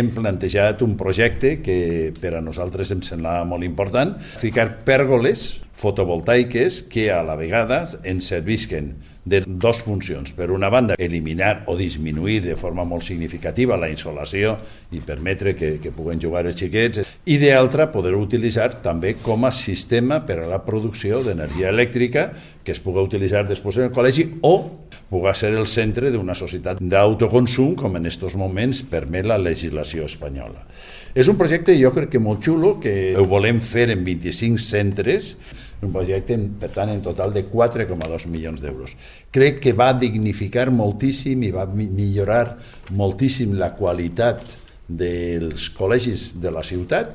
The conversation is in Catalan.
Hem plantejat un projecte que per a nosaltres em semblava molt important, ficar pèrgoles fotovoltaiques que a la vegada ens servisquen de dues funcions. Per una banda, eliminar o disminuir de forma molt significativa la insolació i permetre que puguen jugar els xiquets, i d'altra, poder utilitzar també com a sistema per a la producció d'energia elèctrica que es pugui utilitzar després en el col·legi o pugui ser el centre d'una societat d'autoconsum com en aquests moments permet la legislació espanyola. És un projecte, jo crec que molt xulo, que ho volem fer en 25 centres, un projecte, per tant, en total de 4,2 milions d'euros. Crec que va dignificar moltíssim i va millorar moltíssim la qualitat dels col·legis de la ciutat.